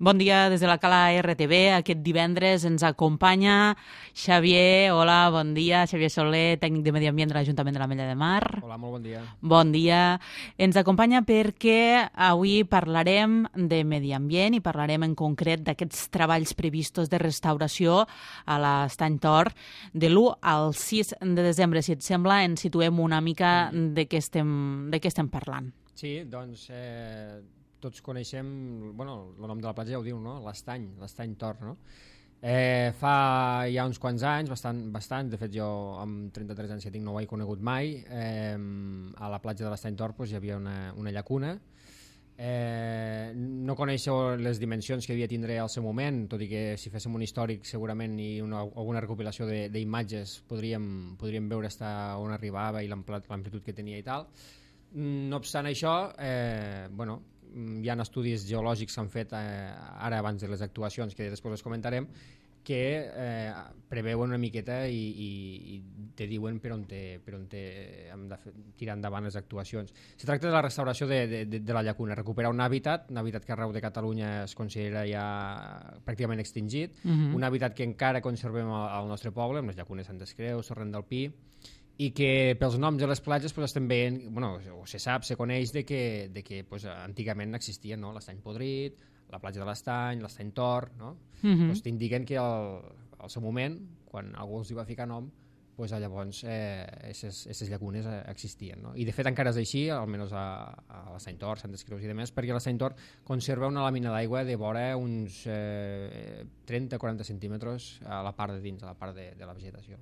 Bon dia des de la Cala RTV. Aquest divendres ens acompanya Xavier. Hola, bon dia. Xavier Soler, tècnic de Medi Ambient de l'Ajuntament de l'Ametlla de Mar. Hola, molt bon dia. Bon dia. Ens acompanya perquè avui parlarem de medi ambient i parlarem en concret d'aquests treballs previstos de restauració a l'Estany Tor de l'1 al 6 de desembre. Si et sembla, ens situem una mica de què estem parlant. Sí, doncs tots coneixem, bueno, el nom de la platja ja ho diu, no? l'Estany Tor, no? Fa ja uns quants anys, bastant, de fet jo amb 33 anys que tinc no ho he conegut mai, a la platja de l'Estany Tor hi havia una llacuna. No coneixo les dimensions que devia tindre al seu moment, tot i que si féssim un històric segurament i alguna recopilació d'imatges podríem veure on arribava i l'amplitud que tenia i tal. No obstant això, hi ha estudis geològics que s'han fet ara abans de les actuacions, que després les comentarem, que preveuen una miqueta i te diuen per on hem de tirar endavant les actuacions. Se tracta de la restauració de la llacuna, recuperar un hàbitat que arreu de Catalunya es considera ja pràcticament extingit, un hàbitat que encara conservem al nostre poble, amb les llacunes Santes Creus, Torrent del Pi, i que pels noms de les platges estem veient, se coneix que antigament existien, no? L'Estany Podrit, la platja de l'Estany, l'Estany Tor, no? T'indiquen que al seu moment, quan algú els hi va ficar nom, llavors aquestes llacunes existien, no? I de fet encara és així, almenys a l'Estany Tor, Santes Creus i demés, perquè l'Estany Tor conserva una làmina d'aigua de vora uns 30-40 centímetres a la part de dins, a la part de la vegetació.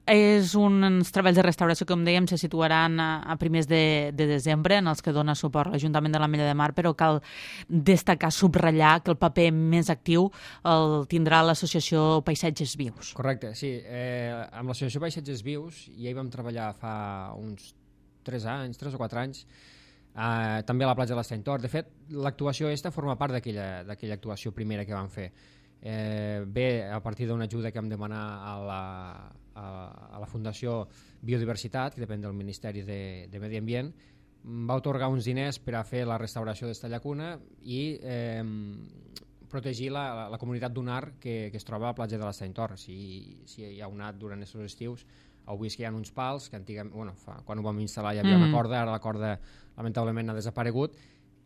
És uns treballs de restauració que, com dèiem, se situaran a primers de desembre, en els que dona suport l'Ajuntament de l'Ametlla de Mar, però cal destacar, subratllar que el paper més actiu el tindrà l'Associació Paisatges Vius. Correcte, sí. Amb l'Associació Paisatges Vius ja hi vam treballar fa uns 3 o 4 anys, també a la platja de l'Estany Tor. De fet, l'actuació aquesta forma part d'aquella actuació primera que vam fer. Ve a partir d'una ajuda que vam demanar a la Fundació Biodiversitat, que depèn del Ministeri de Medi Ambient. Va atorgar uns diners per a fer la restauració d'esta llacuna i protegir la comunitat dunar que es troba a la platja de l'Estany Tor. Si hi ha anat durant aquests estius, heu vist que hi ha uns pals que antigament, quan ho vam instal·lar hi havia una corda, ara la corda lamentablement ha desaparegut.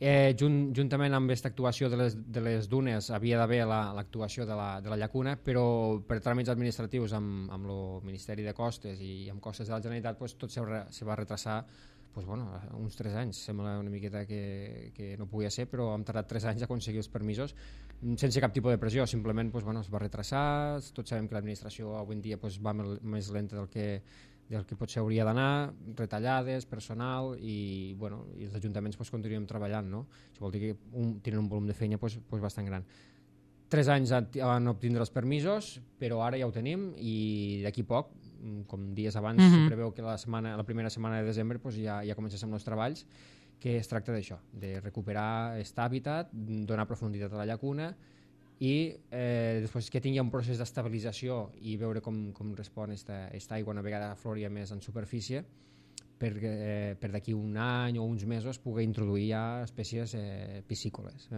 Juntament amb aquesta actuació de les dunes havia d'haver l'actuació de la llacuna, però per tràmits administratius amb el Ministeri de Costes i amb costes de la Generalitat tot se va retrasar uns 3 anys. Sembla una miqueta que no podia ser, però hem tardat 3 anys a aconseguir els permisos sense cap tipus de pressió, simplement es va retrasar. Tots sabem que l'administració avui en dia va més lenta del que potser hauria d'anar, retallades, personal i els ajuntaments continuem treballant, no? Això vol dir que tenen un volum de feina bastant gran. 3 anys van obtindre els permisos, però ara ja ho tenim i d'aquí poc, com dies abans, se preveu que la primera setmana de desembre ja comencem els treballs, que es tracta d'això, de recuperar aquest hàbitat, donar profunditat a la llacuna i després que tingui un procés d'estabilització i veure com respon aquesta aigua una vegada afloria més en superfície per d'aquí un any o uns mesos poder introduir ja espècies piscícoles.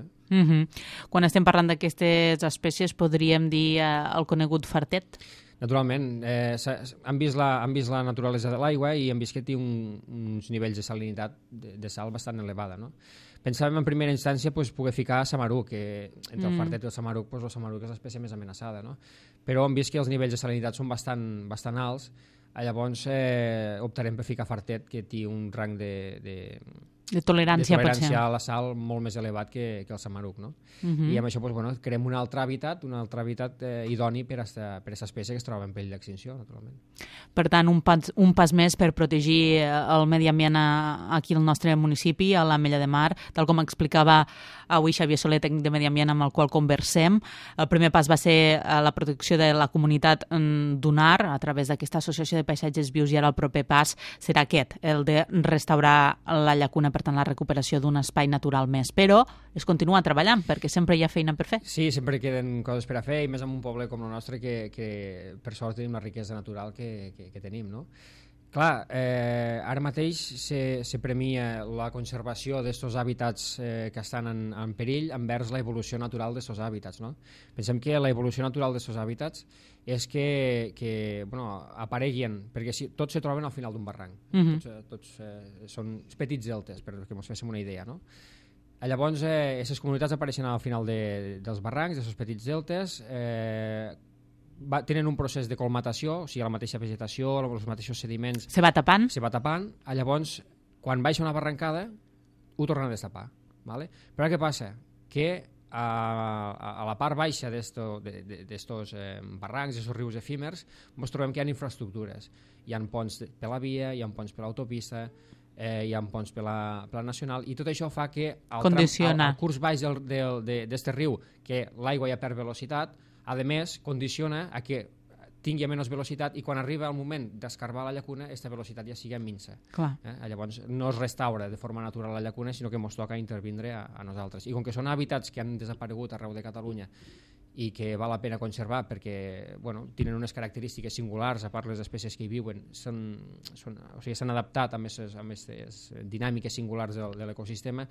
Quan estem parlant d'aquestes espècies podríem dir el conegut fartet? Naturalment, han vist la naturalesa de l'aigua i han vist que té uns nivells de salinitat de sal bastant elevada, no? Pensàvem en primera instància poder ficar samaruc, que entre el fartet i el samaruc, el samaruc és l'espècie més amenaçada, no? Però hem vist que els nivells de salinitat són bastant alts, llavors optarem per ficar fartet, que té un rang de tolerància a la sal molt més elevat que el samaruc, no? I amb això creem un altre hàbitat idoni per a aquesta espècie que es troba en perill d'extinció, naturalment. Per tant, un pas més per protegir el medi ambient aquí al nostre municipi, a l'Ametlla de Mar, tal com explicava avui Xavier Soler, tècnic de Medi Ambient, amb el qual conversem. El primer pas va ser la protecció de la comunitat dunar a través d'aquesta associació de paisatges vius i ara el proper pas serà aquest, el de restaurar la llacuna, per tant la recuperació d'un espai natural més. Però es continua treballant perquè sempre hi ha feina per fer. Sí, sempre queden coses per a fer i més en un poble com el nostre que per sort tenim la riquesa natural que tenim, no? Clar, ara mateix se premia la conservació d'aquests hàbitats que estan en perill envers la evolució natural d'aquests hàbitats, no? Pensem que la evolució natural d'aquests hàbitats és que apareguin, perquè tots se troben al final d'un barranc. Tots són petits deltes, perquè ens féssim una idea, no? Llavors, aquestes comunitats apareixen al final dels barrancs, d'aquests petits deltes, tenen un procés de colmatació, o sigui, la mateixa vegetació, els mateixos sediments... Se va tapant. Llavors, quan baixa una barrancada, ho tornen a destapar. ¿Vale? Però què passa? Que a la part baixa d'estos barrancs, d'aquests rius efímers, ens trobem que hi ha infraestructures. Hi ha ponts per la via, hi ha ponts per l'autopista, hi ha ponts per la nacional, i tot això fa que al curs baix d'aquest riu, que l'aigua ja perd velocitat, a més, condiciona a que tingui menys velocitat i quan arriba el moment d'escarbar la llacuna, aquesta velocitat ja sigui minsa. Llavors no es restaura de forma natural la llacuna, sinó que ens toca intervindre a nosaltres. I com que són hàbitats que han desaparegut arreu de Catalunya i que val la pena conservar perquè tenen unes característiques singulars, a part les espècies que hi viuen, s'han adaptat a aquestes dinàmiques singulars de l'ecosistema,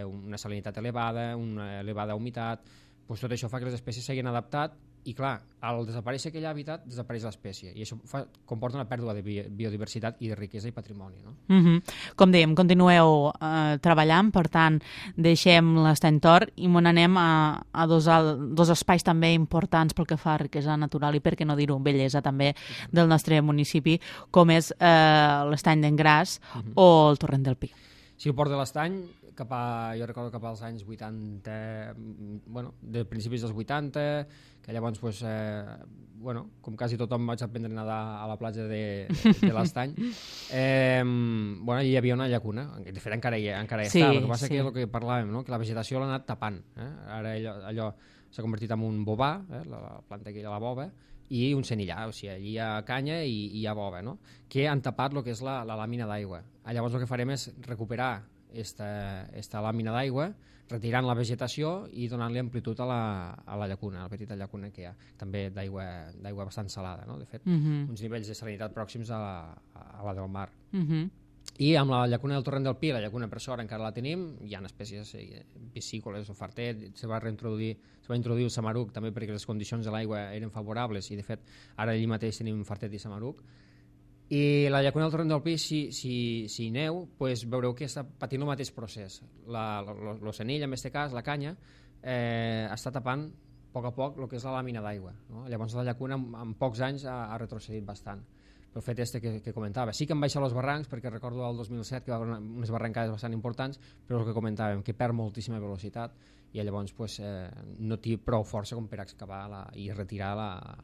una salinitat elevada, una elevada humitat, tot això fa que les espècies s'hagin adaptat i, clar, al desaparèixer aquell hàbitat, desapareix l'espècie i això comporta una pèrdua de biodiversitat i de riquesa i patrimoni. Com dèiem, continueu treballant, per tant, deixem l'Estany Tor i n'anem a dos espais també importants pel que fa a riquesa natural i, per què no dir-ho, bellesa també del nostre municipi, com és l'Estany d'Engràs o el Torrent del Pi. Sí, el Port de l'Estany, jo recordo cap als anys 80, de principis dels 80, que llavors, com quasi tothom vaig aprendre a nedar a la platja de l'Estany, allà hi havia una llacuna, de fet encara hi està, el que passa que és el que parlàvem, que la vegetació l'ha anat tapant, ara allò s'ha convertit en un bovà, la planta aquella, la bova, i un senillar, o sigui, allí hi ha canya i hi ha bova, que han tapat el que és la làmina d'aigua. Llavors el que farem és recuperar esta làmina d'aigua, retirant la vegetació i donant-li amplitud a la llacuna, a la petita llacuna que hi ha, també d'aigua bastant salada, de fet, uns nivells de salinitat pròxims a la del mar. I amb la llacuna del Torrent del Pi, la llacuna per sort encara la tenim, hi ha espècies piscícoles o fartet, se va introduir el samaruc també perquè les condicions de l'aigua eren favorables i de fet ara allí mateix tenim fartet i samaruc. I la llacuna del Torrent del Pi, si hi aneu, veureu que està patint el mateix procés. El senil, en aquest cas, la canya, està tapant a poc el que és la làmina d'aigua. Llavors la llacuna en pocs anys ha retrocedit bastant. El fet que comentava. Sí que han baixat els barrancs, perquè recordo el 2007 que va haver unes barrancades bastant importants, però el que comentàvem, que perd moltíssima velocitat i llavors no té prou força com per excavar i retirar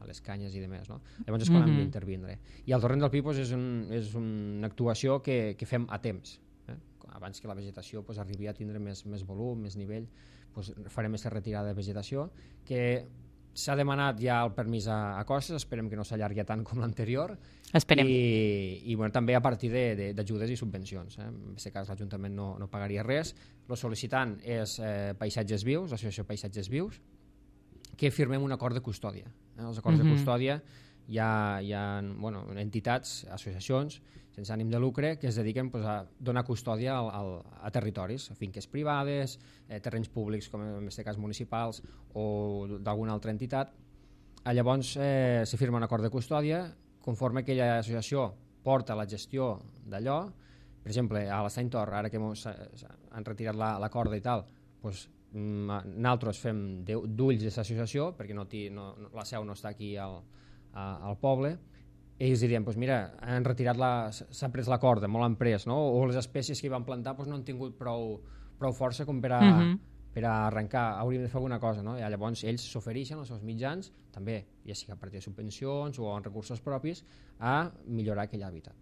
les canyes i demés. Llavors és quan hem d'intervindre. I el Torrent del Pi és una actuació que fem a temps. Abans que la vegetació arribi a tindre més volum, més nivell, farem aquesta retirada de vegetació que s'ha demanat ja el permís a costes, esperem que no s'allargui tant com l'anterior. Esperem. I també a partir d'ajudes i subvencions. En aquest cas l'Ajuntament no pagaria res. El sol·licitant és Paisatges Vius, l'Associació Paisatges Vius, que firmem un acord de custòdia. Els acords de custòdia hi ha entitats, associacions, sense ànim de lucre, que es dediquen a donar custòdia a territoris, a finques privades, terrenys públics, com en aquest cas municipals, o d'alguna altra entitat. Llavors se firma un acord de custòdia, conforme aquella associació porta la gestió d'allò. Per exemple, a l'Estany Tor, ara que han retirat la corda i tal, nosaltres fem d'ulls d'aquesta associació, perquè la seu no està aquí al poble, i ells dirien, mira, s'ha pres la corda, molt han pres, o les espècies que hi van plantar no han tingut prou força com per a arrencar, hauríem de fer alguna cosa. I llavors ells s'ofereixen els seus mitjans, també, ja sigui a partir de subvencions o en recursos propis, a millorar aquell hàbitat.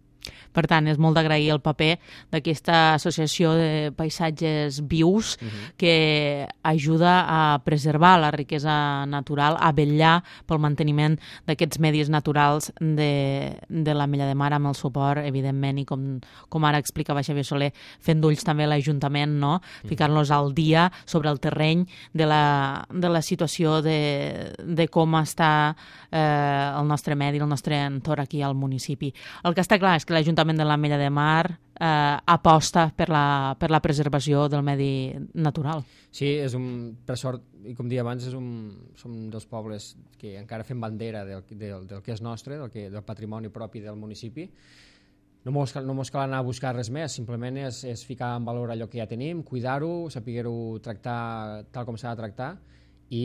Per tant, és molt d'agrair el paper d'aquesta associació de paisatges vius que ajuda a preservar la riquesa natural, a vetllar pel manteniment d'aquests medis naturals de l'Ametlla de Mar, amb el suport, evidentment, i com ara explicava Xavier Soler, fent d'ulls també l'Ajuntament, ficar-nos al dia sobre el terreny de la situació de com està el nostre medi, el nostre entorn aquí al municipi. El que està clar és que l'Ajuntament de l'Ametlla de Mar aposta per la preservació del medi natural. Sí, per sort, i com deia abans, som dels pobles que encara fem bandera del que és nostre, del patrimoni propi del municipi. No mos cal anar a buscar res més, simplement és ficar en valor allò que ja tenim, cuidar-ho, saber-ho tractar tal com s'ha de tractar i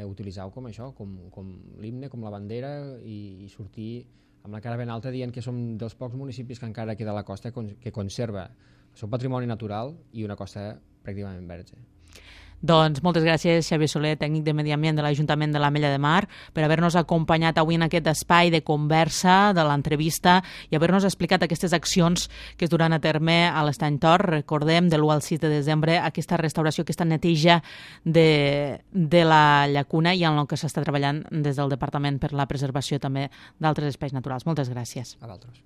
utilitzar-ho com això, com l'himne, com la bandera i sortir amb la cara ben alta dient que som dels pocs municipis que encara queda a la costa que conserva el seu patrimoni natural i una costa pràcticament verge. Doncs moltes gràcies, Xavier Soler, tècnic de Medi Ambient de l'Ajuntament de l'Ametlla de Mar, per haver-nos acompanyat avui en aquest espai de conversa, de l'entrevista, i haver-nos explicat aquestes accions que es duran a terme a l'Estany Tor. Recordem, de l'1 al 6 de desembre, aquesta restauració, aquesta neteja de la llacuna i en el que s'està treballant des del Departament per la preservació també d'altres espais naturals. Moltes gràcies. A vosaltres.